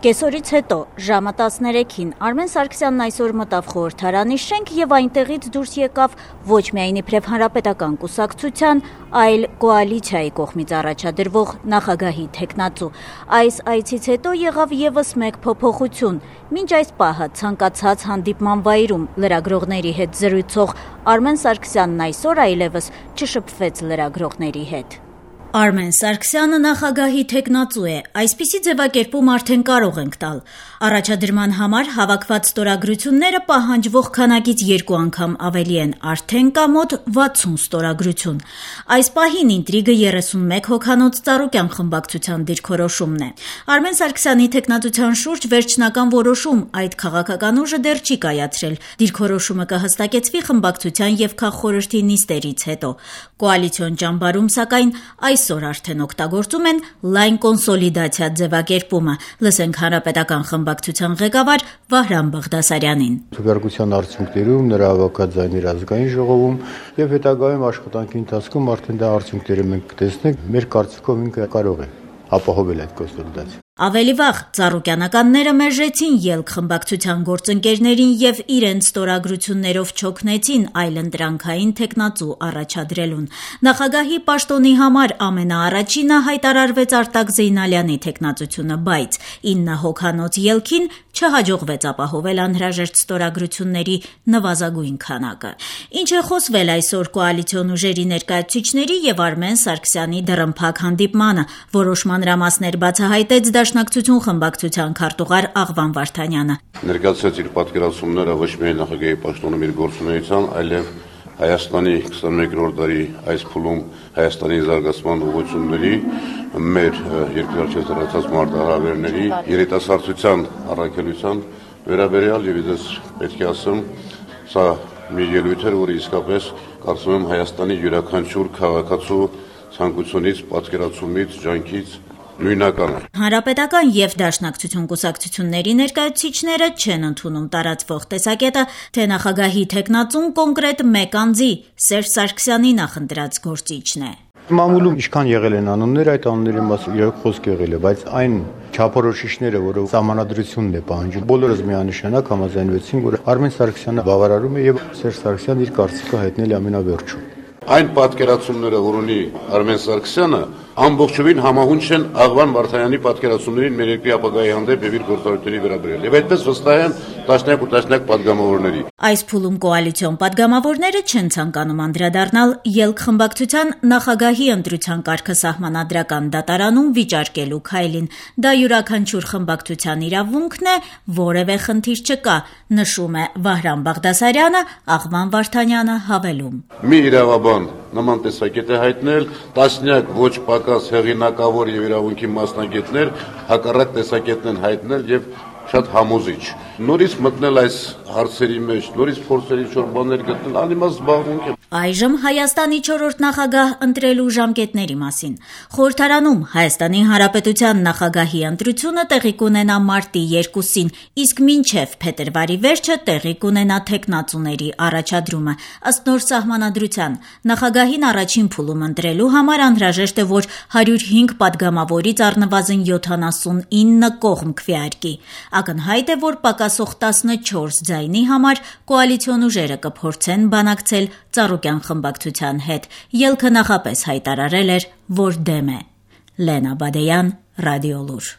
Կեսօրից հետո ժամը 13-ին Արմեն Սարգսյանն այսօր մտավ խորհրդարանի շենք եւ այնտեղից դուրս եկավ ոչ միայն իբրև հանրապետական կուսակցության, այլ կոալիցիայի կողմից առաջադրվող նախագահի թեկնածու։ Այս այցից հետո եղավ եւս մեկ փոփոխություն։ Մինչ այս պահը ցանկացած հանդիպման վայրում լրագրողների հետ զրույցող Արմեն Սարգսյանն այսօր այլևս չշփվեց լրագրողների հետ։ Արմեն Սարգսյանը նախագահի թեկնածու է, այսպիսի ձևակերպում արդեն կարող ենք տալ։ Առաջադրման համար հավաքված ստորագրությունները պահանջվող քանակից 2 անգամ ավելի են, արդեն կա մոտ 60 ստորագրություն։ Այս պահին ինտրիգը 31 հոգանոց Ծառուկյան խմբակցության դիրքորոշումն է։ Արմեն Սարգսյանի թեկնածության շուրջ վերջնական որոշում այդ քաղաքական ուժը դեռ չի կայացրել։ Դիրքորոշումը կհստակեցվի խմբակցության եւ քաղխորհրդի նիստերից հետո։ Կոալիցիոն ճամբարում սակայն այսօր արդեն օգտագործում են լայն կոնսոլիդացիա ձևակերպումը։ Լսենք հանրապետական խմբակցության ղեկավար Վահրամ Բաղդասարյանին։ Քվեարկության արդյունքներում նրա հավաքած ձայներ ազգային ժողովում եւ հետագայում աշխատանքի ընթացքում արդեն դա արդյունքները մենք կտեսնենք։ Մեր կարծիքով ինքը կարող է ապահովել այդ կոնսոլիդացիան։ Ավելի վաղ ծառուկյանականները մերժեցին ելք խմբակցության գործընկերներին եւ իրենց ստորագրություններով չօգնեցին այլընտրանքային թեկնածու առաջադրելուն։ Նախագահի պաշտոնի համար ամենաառաջինը հայտարարվեց Արտակ Զեյնալյանի թեկնածությունը, բայց 9 հոգանոց ելքին չհաջողվեց ապահովել անհրաժեշտ ստորագրությունների նվազագույն քանակը։ Ինչ է խոսվել այսօր կոալիցիոն ուժերի ներկայացուցիչների եւ Արմեն Սարգսյանի դռնփակ հանդիպմանը, որոշ մանրամասներ բացահայտեց Դաշնակցություն խմբակցության քարտուղար Աղվան Վարդանյանը։ Ներկայացրեց իր պատկերացումները ոչ միայն նախագահի պաշտոնում իր գործունեության, այլև Հայաստանի 21-րդ դարի այս փուլում Հայաստանի զարգացման ուղղությունների, մեր երկրի առջև ծառայած մարտահրավերների, երիտասարդության առաքելության վերաբերյալ եւ ես պետք է ասեմ, սա մի ելույթ էր, որը իսկապես կարծում եմ Հայաստանի յուրաքանչյուր քաղաքացու ցանկությունից, պատկերացումից, ջանքից նույնական է։ Հանրապետական եւ Դաշնակցություն կուսակցությունների ներկայացուցիչները չեն ընդունում տարածվող տեսակետը, թե նախագահի թեկնածուն կոնկրետ մեկ անձի Սերժ Սարգսյանի նախընտրած գործիչն է։ Մամուլում ինչքան եղել են անուններ, այդ անունների մասին իրոք խոսք եղել է, բայց այն չափորոշիչները, որը սահմանադրությունն է պահանջում, բոլորս միանշանակ համաձայնվեցին, որ Արմեն Սարգսյանը բավարարում է եւ Սերժ Սարգսյանն իր կարծիքը հայտնել է ամենավերջում։ Այն պատկերացումները, որ ունի Արմեն Սարգսյանը, ամբողջովին համահունչ են Աղվան Վարդանյանի պատկերացումներին մեր երկրի ապագայի հանդեպ եւ իր գործառույթների վերաբերյալ։ Եվ այդպես վստահ են տասնյակ ու տասնյակ պատգամավորների։ Այս փուլում կոալիցիոն պատգամավորները չեն ցանկանում անդրադառնալ ելք խմբակցության նախագահի ընտրության կարգը սահմանադրական դատարանում վիճարկելու քայլին։ Դա յուրաքանչյուր խմբակցության իրավունքն է, որևէ խնդիր չկա, նշում է Վահրամ Բաղդասարյանը, Աղվան Վարդանյանը հավելում։ Մի իրավաբան նման տեսակետ է հայտնել, տասնյակ ոչ պակաս հեղինակավոր եւ իրավունքի մասնագետներ հակառակ տեսակետն են հայտնել եւ շատ համոզիչ։ Նորից մտնել այս հարցերի մեջ, նորից փորձել ինչ-որ բաներ գտնել, անիմաստ զբաղմունք է։ Այժմ Հայաստանի 4-րդ նախագահ ընտրելու ժամկետների մասին։ Խորհրդարանում Հայաստանի Հանրապետության նախագահի ընտրությունը տեղի կունենա մարտի 2-ին, իսկ մինչև փետրվարի վերջը տեղի կունենա թեկնածուների առաջադրումը։ Ըստ նոր սահմանադրության, նախագահին առաջին փուլում ընտրելու համար անհրաժեշտ է, որ 105 պատգամավորից առնվազն 79 կողմ քվեարկի։ Ակնհայտ է, որ պակասող 14 ձայնի համար կոալիցիոն ուժերը կփորձեն բանակցել Ծառուկյան խմբակցության հետ։ Ելքը նախապես հայտարարել էր, որ դեմ է։ Լենա Բադեյան, Ռադիոլուր։